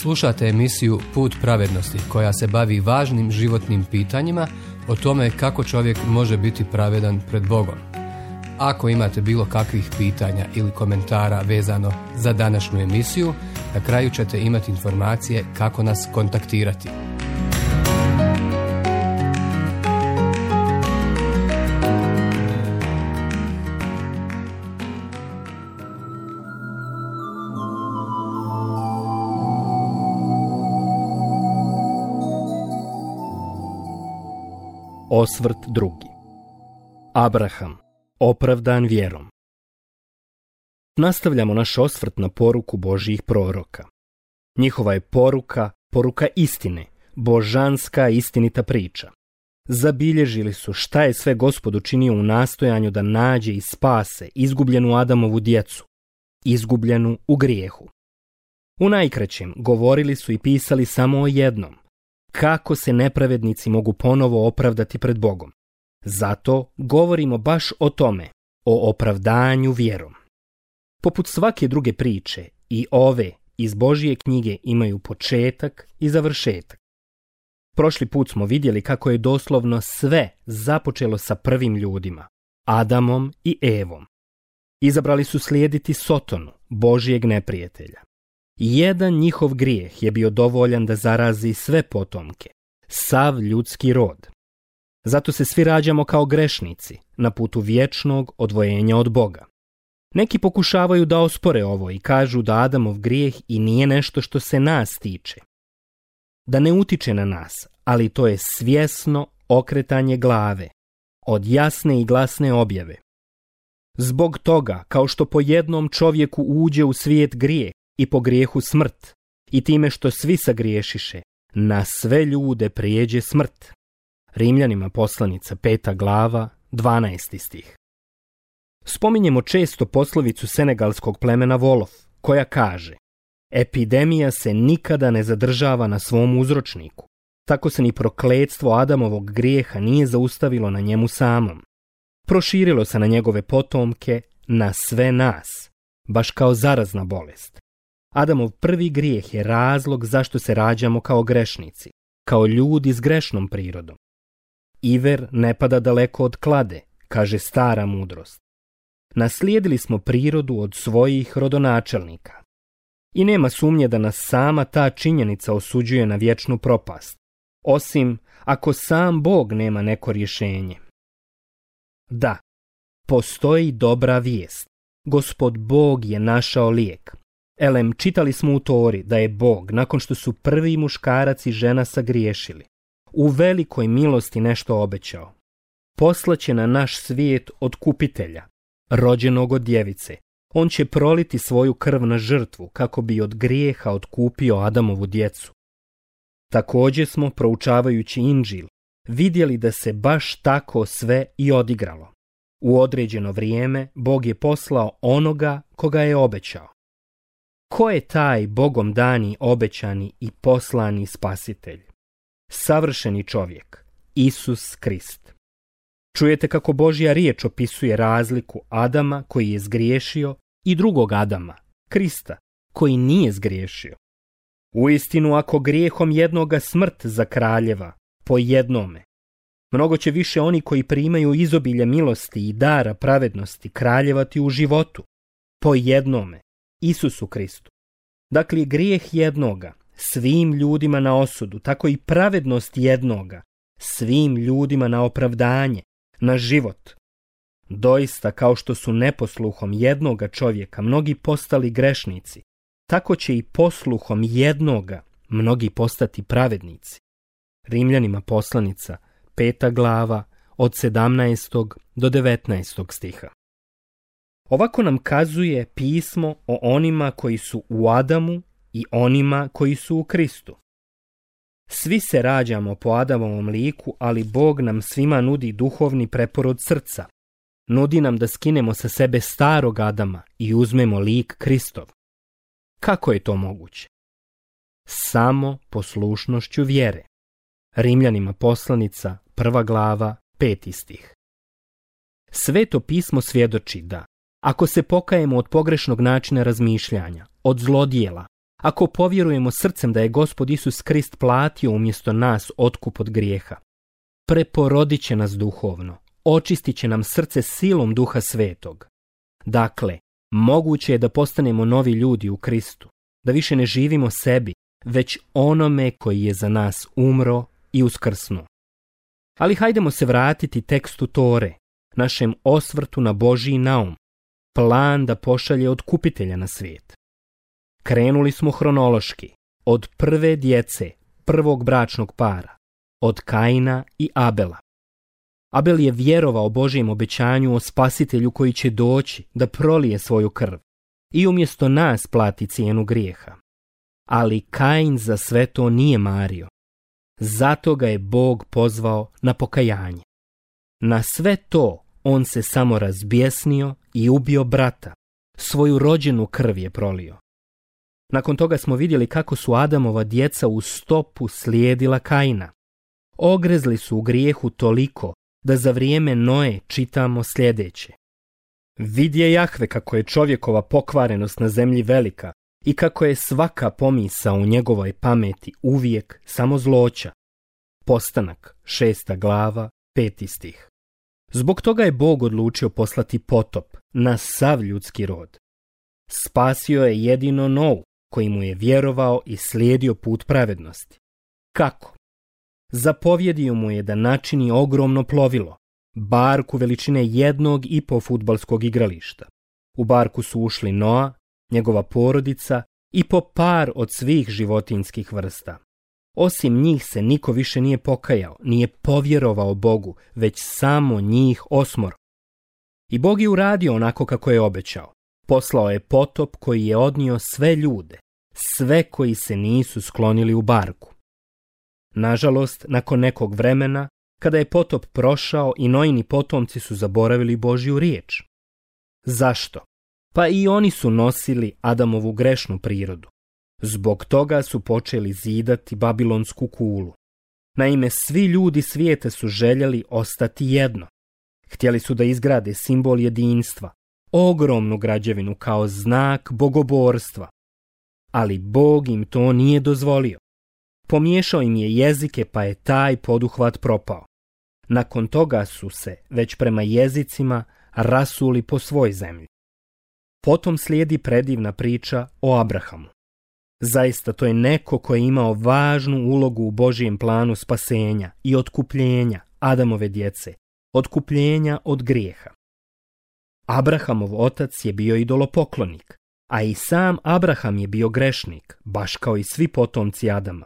Slušate emisiju Put pravednosti koja se bavi važnim životnim pitanjima o tome kako čovjek može biti pravedan pred Bogom. Ako imate bilo kakvih pitanja ili komentara vezano za današnju emisiju, na kraju ćete imati informacije kako nas kontaktirati. Osvrt drugi. Abraham, opravdan vjerom. Nastavljamo naš osvrt na poruku Božjih proroka. Njihova je poruka istine, božanska istinita priča. Zabilježili su šta je sve Gospod učinio u nastojanju da nađe i spase izgubljenu Adamovu djecu, izgubljenu u grijehu. U najkraćem govorili su i pisali samo o jednom: kako se nepravednici mogu ponovo opravdati pred Bogom. Zato govorimo baš o tome, o opravdanju vjerom. Poput svake druge priče, i ove iz Božje knjige imaju početak i završetak. Prošli put smo vidjeli kako je doslovno sve započelo sa prvim ljudima, Adamom i Evom. Izabrali su slijediti Sotonu, Božjeg neprijatelja. Jedan njihov grijeh je bio dovoljan da zarazi sve potomke, sav ljudski rod. Zato se svi rađamo kao grešnici na putu vječnog odvojenja od Boga. Neki pokušavaju da ospore ovo i kažu da Adamov grijeh i nije nešto što se nas tiče. Da ne utiče na nas, ali to je svjesno okretanje glave od jasne i glasne objave. Zbog toga, kao što po jednom čovjeku uđe u svijet grijeh i po grijehu smrt, i time što svi sagriješiše, na sve ljude prijeđe smrt. Rimljanima poslanica 5. glava, 12. stih. Spominjemo često poslovicu senegalskog plemena Wolof, koja kaže: epidemija se nikada ne zadržava na svom uzročniku, tako se ni prokletstvo Adamovog grijeha nije zaustavilo na njemu samom. Proširilo se na njegove potomke, na sve nas, baš kao zarazna bolest. Adamov prvi grijeh je razlog zašto se rađamo kao grešnici, kao ljudi s grešnom prirodom. Iver ne pada daleko od klade, kaže stara mudrost. Naslijedili smo prirodu od svojih rodonačelnika. I nema sumnje da nas sama ta činjenica osuđuje na vječnu propast, osim ako sam Bog nema neko rješenje. Da, postoji dobra vijest. Gospod Bog je našao lijek. Elem, čitali smo u Tori da je Bog, nakon što su prvi muškarac i žena sagriješili, u velikoj milosti nešto obećao. Poslaće na naš svijet otkupitelja, rođenog od djevice. On će proliti svoju krv na žrtvu kako bi od grijeha otkupio Adamovu djecu. Također smo, proučavajući Inđil, vidjeli da se baš tako sve i odigralo. U određeno vrijeme Bog je poslao onoga koga je obećao. Ko je taj Bogom dani, obećani i poslani spasitelj? Savršeni čovjek, Isus Krist. Čujete kako Božja riječ opisuje razliku Adama koji je zgriješio i drugog Adama, Krista, koji nije zgriješio. Uistinu, ako grijehom jednoga smrt zakraljeva, po jednome, mnogo će više oni koji primaju izobilje milosti i dara pravednosti kraljevati u životu, po jednome, Isusu Kristu. Dakle, grijeh jednoga svim ljudima na osudu, tako i pravednost jednoga svim ljudima na opravdanje, na život. Doista, kao što su neposluhom jednoga čovjeka mnogi postali grešnici, tako će i posluhom jednoga mnogi postati pravednici. Rimljanima poslanica 5. glava od 17. do 19. stiha. Ovako nam kazuje pismo o onima koji su u Adamu i onima koji su u Kristu. Svi se rađamo po Adamovom liku, ali Bog nam svima nudi duhovni preporod srca. Nudi nam da skinemo sa sebe starog Adama i uzmemo lik Kristov. Kako je to moguće? Samo poslušnošću vjere. Rimljanima poslanica 1. glava 5. stih. Sveto pismo svjedoči da ako se pokajemo od pogrešnog načina razmišljanja, od zlodjela, ako povjerujemo srcem da je Gospod Isus Krist platio umjesto nas otkup od grijeha, preporodit će nas duhovno, očistit će nam srce silom Duha Svetog. Dakle, moguće je da postanemo novi ljudi u Kristu, da više ne živimo sebi, već onome koji je za nas umro i uskrsnuo. Ali hajdemo se vratiti tekstu Tore, našem osvrtu na Božji naum, plan da pošalje otkupitelja na svijet. Krenuli smo hronološki, od prve djece, prvog bračnog para, od Kaina i Abela. Abel je vjerovao Božjem obećanju o spasitelju koji će doći da prolije svoju krv i umjesto nas plati cijenu grijeha. Ali Kain za sve to nije mario. Zato ga je Bog pozvao na pokajanje. Na sve to on se samo razbjesnio i ubio brata. Svoju rođenu krv je prolio. Nakon toga smo vidjeli kako su Adamova djeca u stopu slijedila Kaina. Ogrezli su u grijehu toliko da za vrijeme Noe čitamo sljedeće. Vidje Jahve kako je čovjekova pokvarenost na zemlji velika i kako je svaka pomisao u njegovoj pameti uvijek samo zloća. Postanak, 6. glava, 5. stih. Zbog toga je Bog odlučio poslati potop na sav ljudski rod. Spasio je jedino Nou, koji mu je vjerovao i slijedio put pravednosti. Kako? Zapovjedio mu je da načini ogromno plovilo, barku veličine 1,5 fudbalskog igrališta. U barku su ušli Noa, njegova porodica i po par od svih životinjskih vrsta. Osim njih se niko više nije pokajao, nije povjerovao Bogu, već samo njih 8. I Bog je uradio onako kako je obećao. Poslao je potop koji je odnio sve ljude, sve koji se nisu sklonili u barku. Nažalost, nakon nekog vremena, kada je potop prošao i Noini potomci su zaboravili Božju riječ. Zašto? Pa i oni su nosili Adamovu grešnu prirodu. Zbog toga su počeli zidati Babilonsku kulu. Naime, svi ljudi svijeta su željeli ostati jedno. Htjeli su da izgrade simbol jedinstva, ogromnu građevinu kao znak bogoborstva. Ali Bog im to nije dozvolio. Pomiješao im je jezike pa je taj poduhvat propao. Nakon toga su se, već prema jezicima, rasuli po svoj zemlji. Potom slijedi predivna priča o Abrahamu. Zaista to je neko koji je imao važnu ulogu u Božjem planu spasenja i otkupljenja Adamove djece, otkupljenja od grijeha. Abrahamov otac je bio idolopoklonik, a i sam Abraham je bio grešnik, baš kao i svi potomci Adama.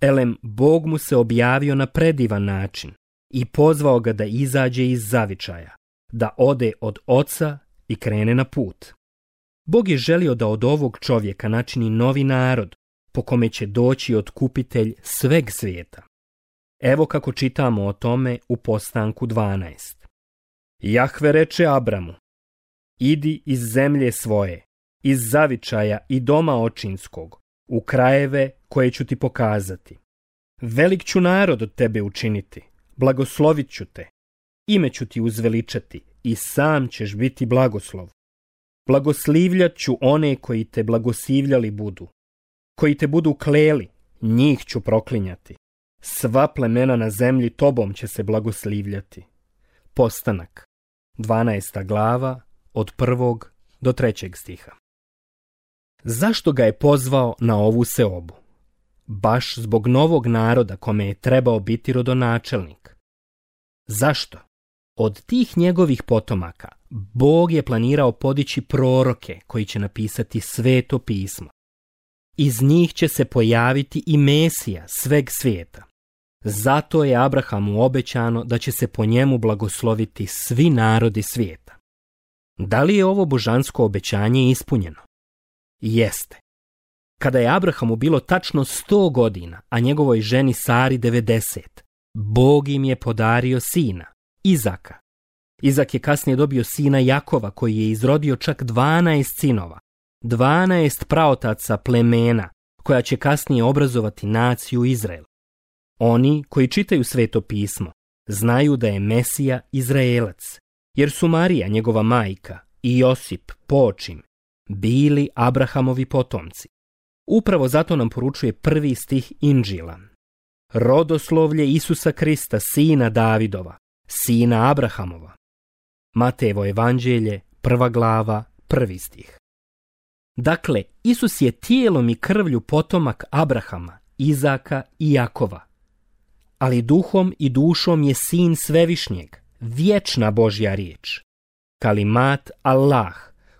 Elem, Bog mu se objavio na predivan način i pozvao ga da izađe iz zavičaja, da ode od oca i krene na put. Bog je želio da od ovog čovjeka načini novi narod, po kome će doći otkupitelj sveg svijeta. Evo kako čitamo o tome u Postanku 12. Jahve reče Abramu, idi iz zemlje svoje, iz zavičaja i doma očinskog, u krajeve koje ću ti pokazati. Velik ću narod od tebe učiniti, blagoslovit ću te, ime ću ti uzveličati i sam ćeš biti blagoslov. Blagoslivljat ću one koji te blagoslivljali budu. Koji te budu kleli, njih ću proklinjati. Sva plemena na zemlji tobom će se blagoslivljati. Postanak, 12. glava, od 1. do 3. stiha. Zašto ga je pozvao na ovu seobu? Baš zbog novog naroda kome je trebao biti rodonačelnik. Zašto? Od tih njegovih potomaka Bog je planirao podići proroke koji će napisati Sveto pismo. Iz njih će se pojaviti i Mesija sveg svijeta. Zato je Abrahamu obećano da će se po njemu blagosloviti svi narodi svijeta. Da li je ovo božansko obećanje ispunjeno? Jeste. Kada je Abrahamu bilo tačno 100 godina, a njegovoj ženi Sari 90, Bog im je podario sina, Izaka. Izak je kasnije dobio sina Jakova koji je izrodio čak 12 sinova, 12 praotaca plemena koja će kasnije obrazovati naciju Izrael. Oni koji čitaju Sveto pismo znaju da je Mesija Izraelac, jer su Marija, njegova majka, i Josip, počim, bili Abrahamovi potomci. Upravo zato nam poručuje prvi stih Inđila. Rodoslovlje Isusa Krista, sina Davidova, sina Abrahamova. Matejevo evanđelje, 1. glava, 1. stih. Dakle, Isus je tijelom i krvlju potomak Abrahama, Izaka i Jakova. Ali duhom i dušom je sin Svevišnjeg, vječna Božja riječ. Kalimat Allah,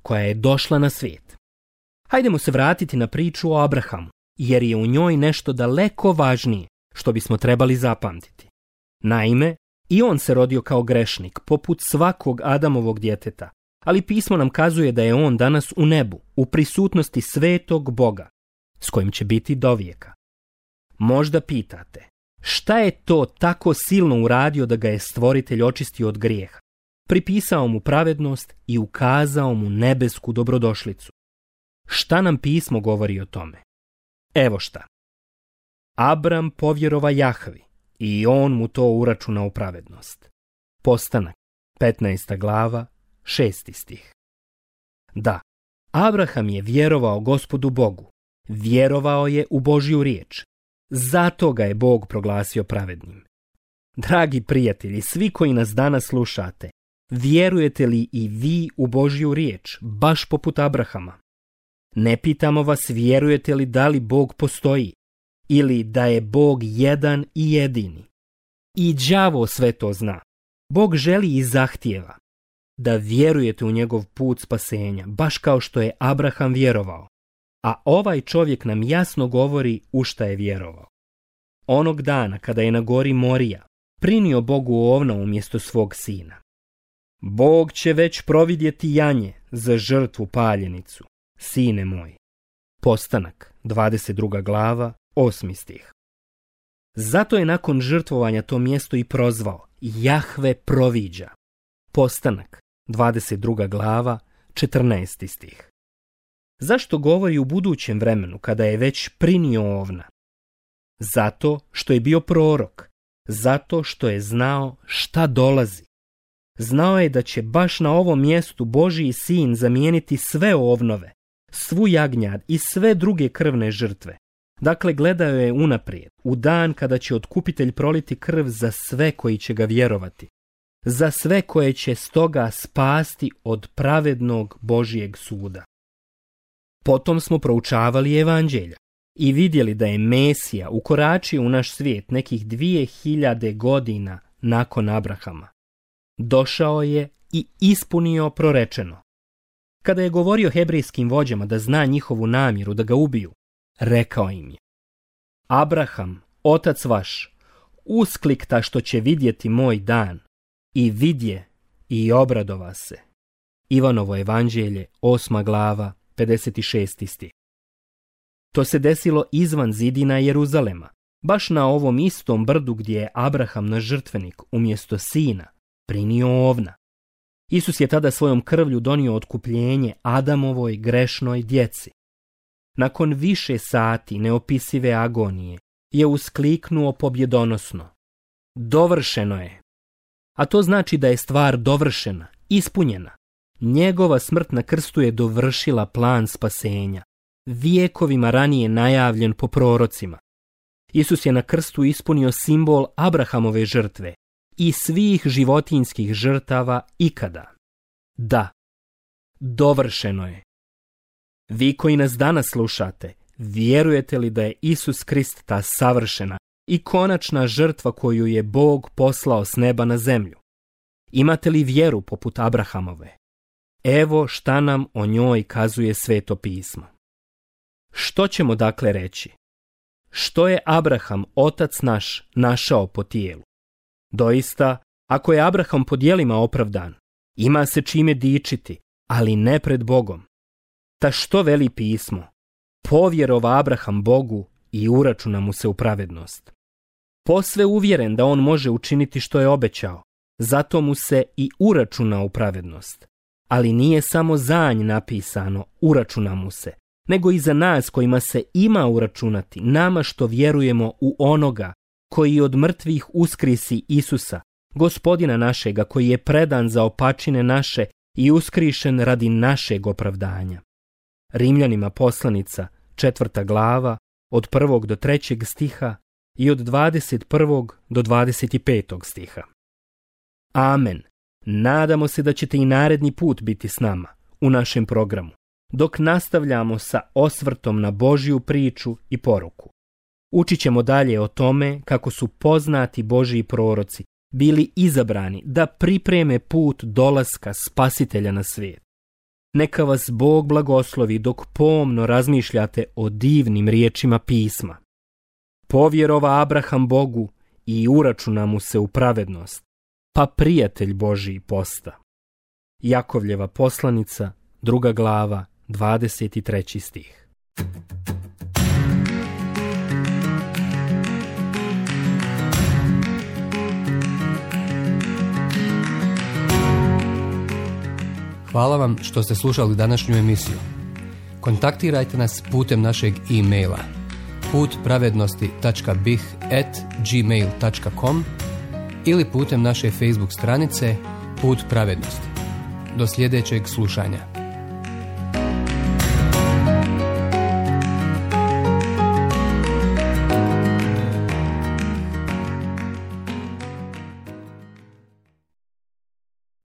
koja je došla na svijet. Hajdemo se vratiti na priču o Abrahamu, jer je u njoj nešto daleko važnije što bismo trebali zapamtiti. Naime, i on se rodio kao grešnik, poput svakog Adamovog djeteta, ali pismo nam kazuje da je on danas u nebu, u prisutnosti svetog Boga, s kojim će biti dovijeka. Možda pitate, šta je to tako silno uradio da ga je Stvoritelj očistio od grijeha, pripisao mu pravednost i ukazao mu nebesku dobrodošlicu? Šta nam pismo govori o tome? Evo šta. Abram povjerova Jahvi i on mu to uračuna u pravednost. Postanak, 15. glava, 6. stih. Da, Abraham je vjerovao Gospodu Bogu, vjerovao je u Božju riječ, zato ga je Bog proglasio pravednim. Dragi prijatelji, svi koji nas danas slušate, vjerujete li i vi u Božju riječ, baš poput Abrahama? Ne pitamo vas vjerujete li da li Bog postoji ili da je Bog jedan i jedini. I đavo sve to zna. Bog želi i zahtijeva da vjerujete u njegov put spasenja, baš kao što je Abraham vjerovao. A ovaj čovjek nam jasno govori u šta je vjerovao. Onog dana kada je na gori Morija prinio Bogu ovna umjesto svog sina. Bog će već providjeti janje za žrtvu paljenicu, sine moj. Postanak, 22. glava, 8. stih. Zato je nakon žrtvovanja to mjesto i prozvao Jahve proviđa. Postanak, 22. glava, 14. stih. Zašto govori u budućem vremenu kada je već prinio ovna? Zato što je bio prorok, zato što je znao šta dolazi. Znao je da će baš na ovom mjestu Božji sin zamijeniti sve ovnove, svu jagnjad i sve druge krvne žrtve. Dakle, gledao je unaprijed, u dan kada će otkupitelj proliti krv za sve koji će ga vjerovati, za sve koje će stoga spasti od pravednog Božjeg suda. Potom smo proučavali evanđelja i vidjeli da je Mesija ukoračio u naš svijet nekih 2000 godina nakon Abrahama. Došao je i ispunio prorečeno. Kada je govorio hebrejskim vođama da zna njihovu namjeru da ga ubiju, rekao im je: Abraham, otac vaš, usklikta što će vidjeti moj dan, i vidje i obradova se. Ivanovo evanđelje, 8. glava, 56. stih. To se desilo izvan zidina Jeruzalema, baš na ovom istom brdu gdje je Abraham na žrtvenik umjesto sina prinio ovna. Isus je tada svojom krvlju donio otkupljenje Adamovoj grešnoj djeci. Nakon više sati neopisive agonije je uskliknuo pobjedonosno: dovršeno je. A to znači da je stvar dovršena, ispunjena. Njegova smrt na krstu je dovršila plan spasenja, vijekovima ranije najavljen po prorocima. Isus je na krstu ispunio simbol Abrahamove žrtve i svih životinjskih žrtava ikada. Da, dovršeno je. Vi koji nas danas slušate, vjerujete li da je Isus Krist ta savršena i konačna žrtva koju je Bog poslao s neba na zemlju? Imate li vjeru poput Abrahamove? Evo šta nam o njoj kazuje Sveto pismo. Što ćemo dakle reći? Što je Abraham, otac naš, našao po tijelu? Doista, ako je Abraham po djelima opravdan, ima se čime dičiti, ali ne pred Bogom. Ta što veli pismo? Povjerova Abraham Bogu i uračuna mu se u pravednost. Posve uvjeren da on može učiniti što je obećao, zato mu se i uračuna u pravednost. Ali nije samo za nj napisano uračuna mu se, nego i za nas kojima se ima uračunati, nama što vjerujemo u onoga koji od mrtvih uskrisi Isusa, Gospodina našega, koji je predan za opačine naše i uskrišen radi našeg opravdanja. Rimljanima poslanica, 4. glava, od 1. do 3. stiha i od 21. do 25. stiha. Amen. Nadamo se da ćete i naredni put biti s nama u našem programu, dok nastavljamo sa osvrtom na Božju priču i poruku. Učit ćemo dalje o tome kako su poznati Božji proroci bili izabrani da pripreme put dolaska Spasitelja na svijet. Neka vas Bog blagoslovi dok pomno razmišljate o divnim riječima pisma. Povjerova Abraham Bogu i uračuna mu se u pravednost, pa prijatelj Božji posta. Jakovljeva poslanica, 2. glava, 23. stih. Hvala vam što ste slušali današnju emisiju. Kontaktirajte nas putem našeg e-maila putpravednosti.bih@gmail.com ili putem naše Facebook stranice Put pravednosti. Do sljedećeg slušanja.